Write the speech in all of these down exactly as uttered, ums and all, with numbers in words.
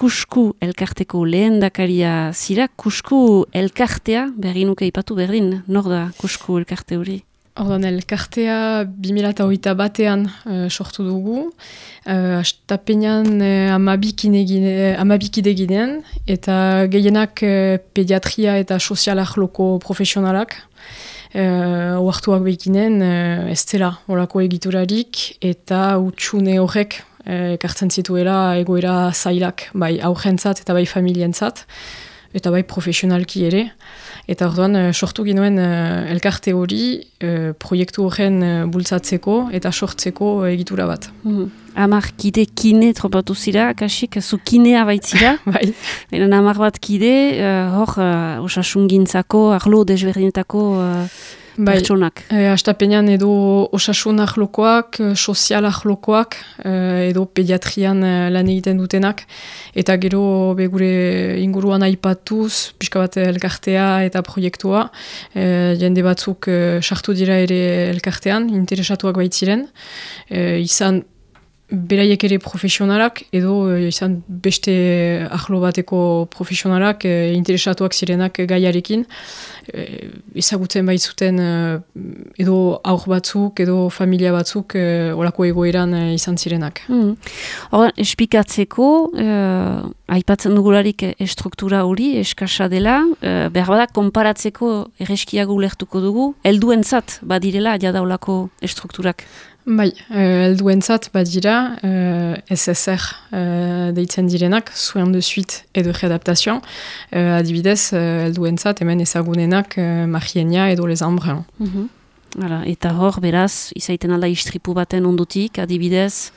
Kusku elkarteko lehendakaria zira. Kusku elkartea, berri nuke ipatu berdin, nor da Kusku elkarte hori? Ordan elkartea bi mila hogeita batean uh, sortu dugu. Uh, Astapenean uh, amabikide ginen, eta gehienak uh, pediatria eta sozial arloko profesionalak. Uh, Oartuak behikinen, uh, ez dela horako egiturarik, eta utxune horrek uh, ekartzen zituela egoera zailak, bai aurrentzat eta bai familientzat, eta bai profesionalki ere. Eta orduan, uh, sortu ginoen uh, elkarte hori uh, proiektu horren uh, bultzatzeko eta sortzeko uh, egitura bat. Mm. Amar kide kine tropatu zira, kasik, zu kinea baitzira. Bai. Eren amar bat kide, uh, hor, uh, osasungintzako, arlo desberdinetako uh, bai. Pertsonak. E, Astapenean edo osasun ahlokoak, sozial ahlokoak, edo pediatrian lan egiten dutenak. Eta gero begure inguruan aipatuz, pixka bat elkartea eta proiektua. E, jende batzuk sartu dira ere elkartean, interesatuak baitziren. E, izan beraiek ere profesionalak, edo izan beste ahlo bateko profesionalak e, interesatuak zirenak gaiarekin. E, ezagutzen baitzuten e, edo aur batzuk, edo familia batzuk e, olako egoeran e, izan zirenak. Hmm. Hor, espikatzeko, e, aipatzen dugularik estruktura hori, eskasa dela, e, behar badak konparatzeko erreskiago ulertuko dugu, helduentzat badirela jada olako estrukturak. Bai, helduentzat uh, badira uh, S S R uh, deitzen direnak, soin de suite edo readaptation, uh, adibidez helduentzat uh, hemen ezagunenak uh, Marienia edo Les Embruns. Mm-hmm. Hala, eta hor, beraz, izaiten alda istripu baten ondutik, adibidez,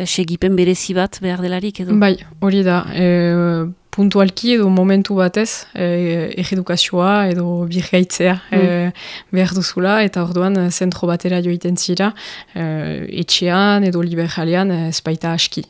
segipen berezi bat behar delarik edo? Bai, hori da, e, puntualki edo momentu batez, e, erredukazioa edo birgaitzea mm. e, behar duzula, eta orduan zentro batera joiten zira, e, etxean edo liberalean ez baita aski.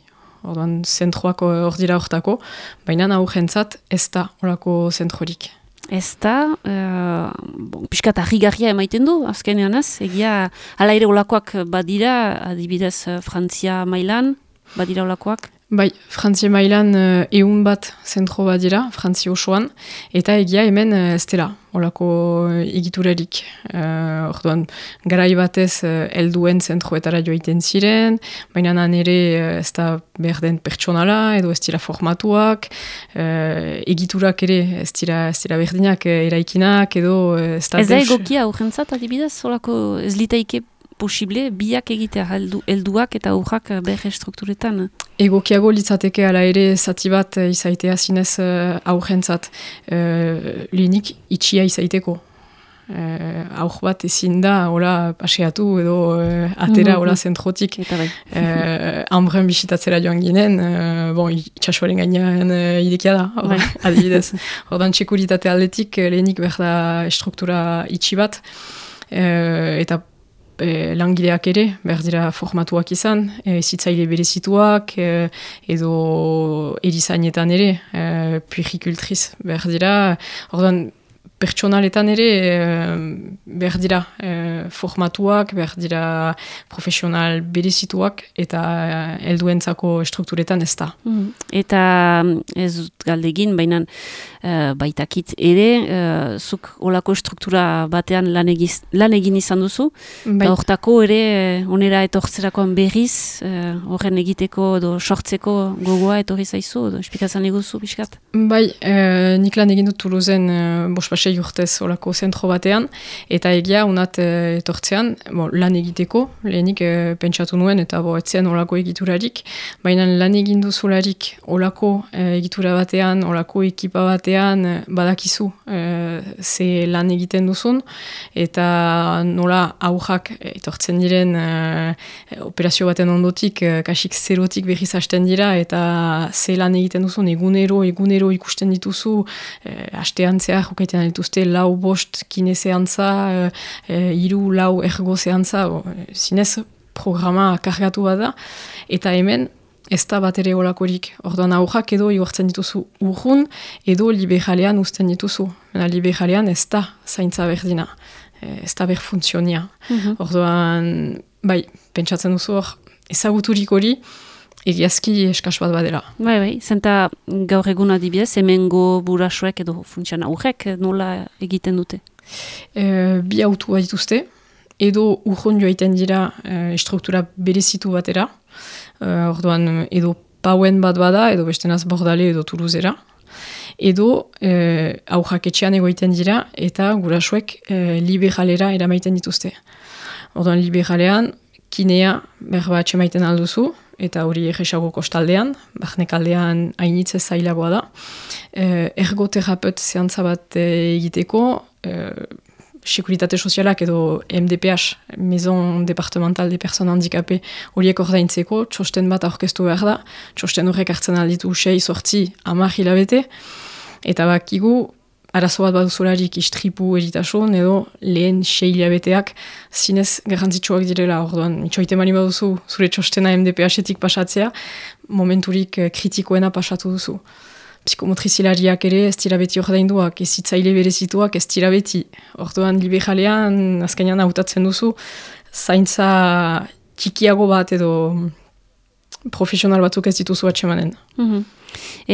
Orduan zentroak hor dira hortako, baina aurrentzat ez da horako zentrorik. Ez da, uh, bon, piskat harrigarria emaiten du, azkenean ez, egia ala ere olakoak badira, adibidez Frantzia mailan, badira olakoak? Bai, Frantzia mailan uh, eun bat zentro badira, Frantzia osoan, eta egia hemen uh, ez dela, olako uh, egiturarik. Uh, orduan, garai batez uh, helduen zentroetara joiten ziren, baina nan ere uh, ez da behar den pertsonala, edo ez dira formatuak, uh, egiturak ere ez dira, ez dira berdinak uh, eraikinak, edo uh, ez da... Ez da egokia urgentzat, adibidez, olako ez litaike posible, biak egitea heldu, helduak eta urrak behar strukturetan? Egokiago litzateke ala ere zati bat izaitea zinez uh, aurrentzat. Uh, lehenik itxia izaiteko. Uh, aur bat ezin da, hola paseatu edo uh, atera hola zentrotik. Eta bai. uh, Ambrun bisitatzera joan ginen, uh, bon, itxasuaren gainean uh, idekia da, bai. Adibidez. Ordan txekuritate aldetik lehenik behar da struktura itxi bat. Uh, eta E, langileak ere, behar dira formatuak izan, e, zitzaile berezituak, e, edo erizainetan ere, e, puericultriz behar dira, orduan pertsonaletan ere e, behar dira e, formatuak, behar dira profesional berezituak, eta helduentzako strukturetan ez da. Mm. Eta ez dut galdegin, baina Uh, baitakit ere, uh, zuk olako struktura batean lan, egiz, lan egin izan duzu, eta hortako ere onera etortzerakoan berriz, uh, horren egiteko edo sortzeko gogoa etorri zaizu, edo espikatzen eguzu biskat? Bai, uh, nik lan egin dut Toulousen uh, bospasei urtez olako zentro batean, eta egia unat uh, etortzean, bo, lan egiteko, lehenik uh, pentsatu nuen, eta bo, etzen olako egiturarik, baina lan egin duzularik olako uh, egitura batean, olako ekipa batean, badakizu e, ze lan egiten duzun, eta nola aurrak etortzen diren e, operazio baten ondotik, e, kasik zerotik berriz hasten dira, eta ze lan egiten duzun egunero, egunero ikusten dituzu, e, hastean zehar jokaiten dituzte lau bost kine zeantza, e, hiru lau ergo zeantza, zinez programa kargatu bada, eta hemen ez da bat ere olakorik. Orduan aurrak edo igortzen dituzu urrun, edo liberalean uzten dituzu. Mena liberalean ez da zaintza berdina. Ez da berfuntzionia. Mm-hmm. Orduan, bai, pentsatzen duzu hor, ezaguturik hori, egiazki eskas bat badela. Bai, bai, zenta gaur egun adibidez, hemengo burasoek edo funtsian aurrek nola egiten dute? E, bi autu bat dituzte, edo urron joaiten dira e, struktura berezitu batera, e, orduan edo pauen bat bada, edo bestenaz Bordale edo Toulousera, edo e, aurrak etxean egoiten dira, eta gurasoek e, liberalera eramaiten dituzte. Orduan liberalean, kinea berba atxemaiten alduzu, eta hori egesago kostaldean, barnekaldean hainitze zailagoa da. E, ergoterapeut zeantza bat egiteko, e, Sekuritate Sozialak edo M D P H, Maison Departemental de Personnes Handicapées, horiek ordaintzeko, txosten bat aurkeztu behar da, txosten horrek hartzen alditu sei, sortzi, hamar hilabete, eta bakigu, arazo bat baduzularik istripu eritasun, edo lehen sei hilabeteak zinez garrantzitsuak direla, orduan, itxoite mani baduzu, zure txostena M D P H-etik pasatzea, momenturik kritikoena pasatu duzu. Psikomotrizilariak ere ez dira beti ordainduak, ez hitzaile berezituak ez dira beti. Orduan liberalean azkenean hautatzen duzu, zaintza txikiago bat edo profesional batzuk ez dituzu atxemanen. Mm-hmm.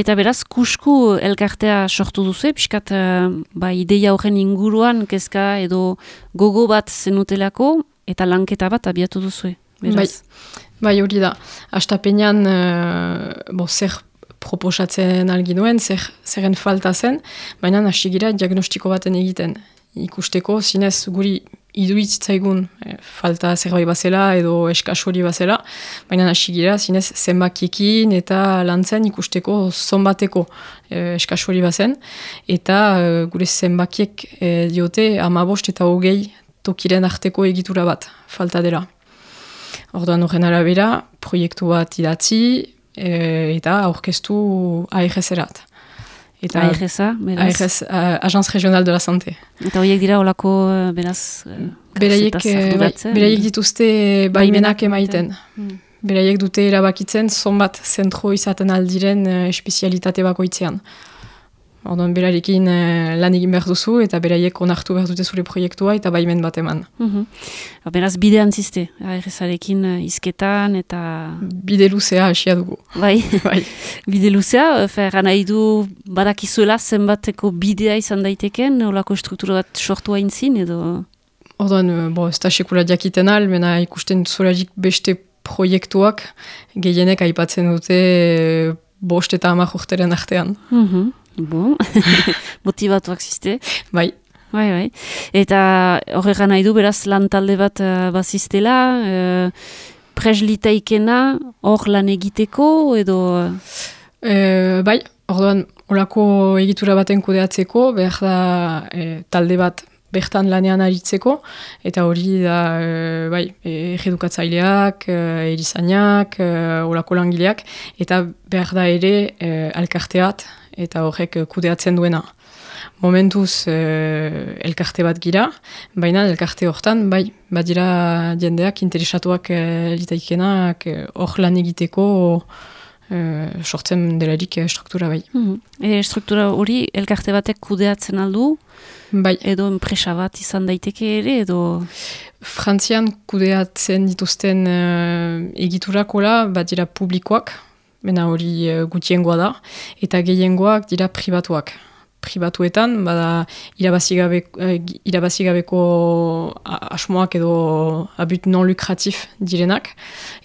Eta beraz, kusku elkartea sortu duzu, piskat ba, ideia horren inguruan kezka edo gogo bat zenutelako eta lanketa bat abiatu duzu. Bai, bai hori da. Astapenean uh, bo, zer proposatzen alginuen, zer, zeren falta zen, baina hasi gira diagnostiko baten egiten. Ikusteko, zinez guri iduitzaigun e, falta zerbait bazela edo eskas hori bazela, baina hasi gira, zinez zenbakiekin eta lantzen ikusteko zonbateko e, eskas hori bazen, eta e, gure zenbakiek e, diote hamabost eta hogei tokiren arteko egitura bat falta dela. Orduan horren arabera, proiektu bat idatzi, E, eta aurkeztu A R S-erat. A R S-a, beraz? A R S, uh, Agence Régionale de la Santé. Eta horiek dira olako, beraz, beraiek, beraiek dituzte baimenak emaiten. Hmm. Beraiek dute erabakitzen, zonbat zentro izaten aldiren uh, espezialitate bakoitzean. Orduan berarekin uh, lan egin behar duzu, eta beraiek onartu behar dute zure proiektua, eta baimen bat eman. Mm-hmm. Beraz, bide antziste, A R S-arekin uh, izketan, eta... Bide luzea hasia dugu. Bai, bai. Bide luzea, fer, nahi du badakizuela zenbateko bidea izan daiteken, olako struktura bat sortu hain zin, edo... Orduan, bo, ez da sekula diakiten al, mena ikusten zularik beste proiektuak, gehienek aipatzen dute bost eta hamar urteren artean. Mhm. Bon, motivatuak ziste. Bai. Bai, bai. Eta horregan nahi du, beraz, lan talde bat uh, baziztela, uh, preslitaikena hor lan egiteko, edo... E, bai, orduan, olako egitura baten kudeatzeko, behar da e, talde bat bertan lanean aritzeko, eta hori da, e, bai, egedukatzaileak, e, erizainak, e, olako langileak, eta behar da ere e, alkarteat, eta horrek kudeatzen duena. Momentuz e, elkarte bat gira, baina elkarte hortan, bai, badira jendeak interesatuak e, litaikenak hor lan egiteko e, sortzen delarik e, struktura bai. Mm-hmm. E, struktura hori elkarte batek kudeatzen aldu? Bai. Edo enpresa bat izan daiteke ere, edo... Frantzian kudeatzen dituzten e, egiturakola badira publikoak, bena hori uh, gutiengoa da, eta gehiengoak dira pribatuak. Pribatuetan, bada irabazigabeko, uh, irabazigabeko asmoak edo abut non lukratif direnak,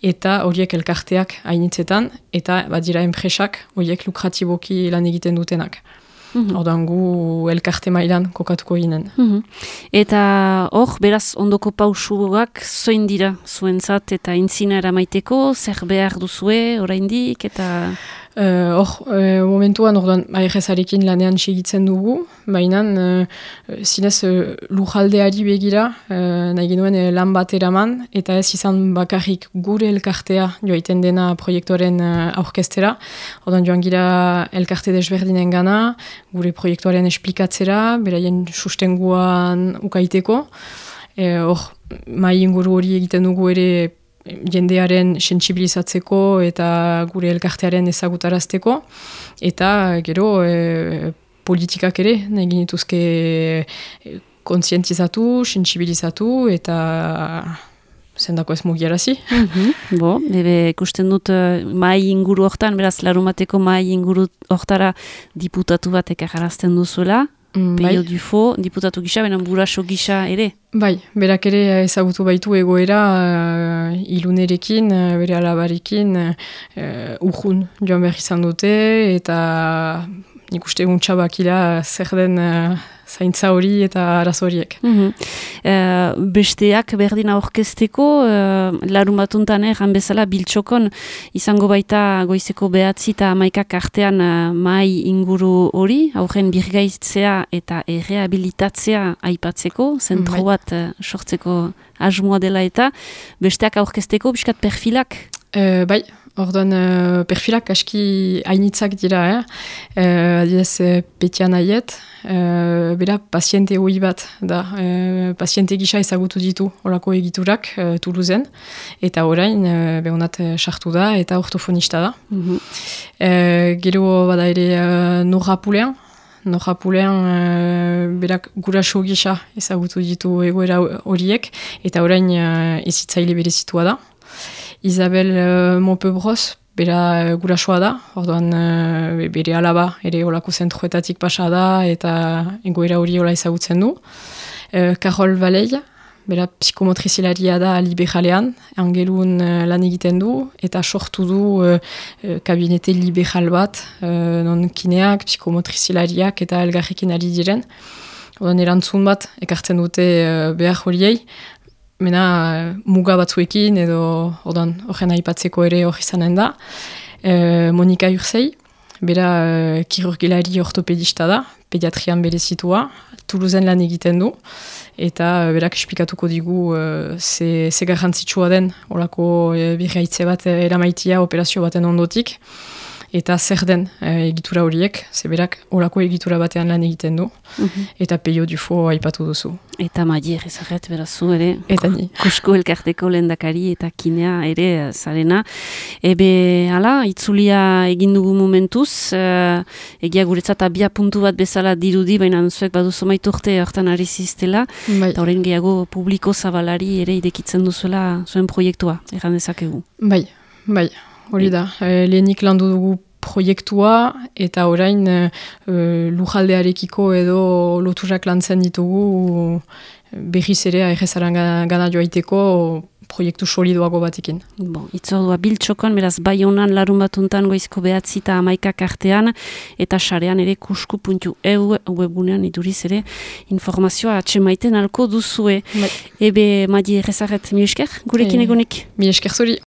eta horiek elkarteak hainitzetan, eta badira enpresak horiek lukratiboki lan egiten dutenak. Mm-hmm. Ordan gu elkarte mailan kokatuko ginen. Mm-hmm. Eta hor, beraz, ondoko pausuak zoin dira zuentzat eta intzina eramaiteko, zer behar duzue, oraindik, eta... Hor, uh, uh, momentuan, orduan, A R S-arekin lanean segitzen dugu, baina uh, zinez uh, lujaldeari begira, uh, nahi genuen uh, lan bat eraman, eta ez izan bakarrik gure elkartea joaiten dena proiektuaren uh, aurkestera. Orduan joan gira elkarte desberdinen gana, gure proiektuaren esplikatzera, beraien sustenguan ukaiteko. Hor, uh, mai inguru hori egiten dugu ere jendearen sentsibilizatzeko eta gure elkartearen ezagutarazteko, eta gero e, politikak ere nahi genituzke kontzientizatu, sentsibilizatu eta zendako ez mugiarazi. Mm-hmm. Bo, ebe, ikusten dut uh, mai inguru hortan, beraz, larumateko mai inguru hortara diputatu bat ekajarazten duzuela, mm, Peio bai. Dufo, diputatu gisa, benen buraso gisa ere. Bai, berak ere ezagutu baitu egoera uh, ilunerekin, uh, bere alabarekin, uh, urjun joan behar izan dute, eta nik uste guntza bakila zer den uh, zaintza hori eta arazo horiek. Mm-hmm. uh, besteak berdin aurkezteko, uh, larun batuntan egan bezala biltxokon izango baita goizeko behatzi eta hamaikak artean uh, mai inguru hori, aurren birgaitzea eta errehabilitatzea aipatzeko, zentro mm, bat uh, sortzeko asmoa dela eta besteak aurkezteko biskat perfilak? Uh, bai. Orduan, uh, perfilak aski hainitzak dira, eh? Uh, Adiez, uh, Petian Aiet, uh, bera paziente hoi bat, da, uh, paziente gisa ezagutu ditu horako egiturak uh, Toulousen, eta orain, uh, behonat sartu da, eta ortofonista da. Mm-hmm. uh, gero bada ere uh, Norrapulean, Norrapulean uh, berak guraso gisa ezagutu ditu egoera horiek, eta orain uh, ezitzaile berezitua da. Isabel uh, Montpebros, bera uh, gurasoa da, orduan uh, bere alaba ere olako zentroetatik pasa da eta egoera hori hola ezagutzen du. Uh, Carol Valei, bera psikomotrizilaria da liberalean, angelun uh, lan egiten du, eta sortu du uh, uh, kabinete liberal bat, uh, non kineak, psikomotrizilariak eta elgarrekin ari diren. Orduan erantzun bat, ekartzen dute uh, behar horiei, mena muga batzuekin edo ordan horren aipatzeko ere hori izanen da. E, Monika Urzei, bera e, kirurgilari ortopedista da, pediatrian berezitua, Toulousen lan egiten du, eta berak esplikatuko digu e, ze, ze garrantzitsua den olako e, birgaitze bat eramaitia operazio baten ondotik, eta zer den e, egitura horiek, ze berak olako egitura batean lan egiten du, mm-hmm. eta Peio Dufo aipatu duzu. Eta Madier ezaget berazu ere, eta ni. Kusko elkarteko lehendakari eta kinea ere zarena. Ebe, hala, itzulia egin dugu momentuz, uh, egia guretzat abia puntu bat bezala dirudi, baina zuek baduzu maiturte hortan ari ziztela, bai. Eta horren gehiago publiko zabalari ere idekitzen duzuela zuen proiektua, erran dezakegu. Bai, bai, hori da. E, lehenik landu dugu proiektua, eta orain uh, lujaldearekiko edo loturak lantzen ditugu berriz ere aherrezaran gana joaiteko proiektu solidoago batekin. Bon, itzordua biltxokon, beraz bai honan larun batuntan goizko behatzi eta hamaikak artean, eta sarean ere kusku puntu eu webunean iduriz ere informazioa atxemaiten alko duzue. Bai. Ebe, Madi Errezaret, mi esker, gurekin egonik? Mi esker zuri.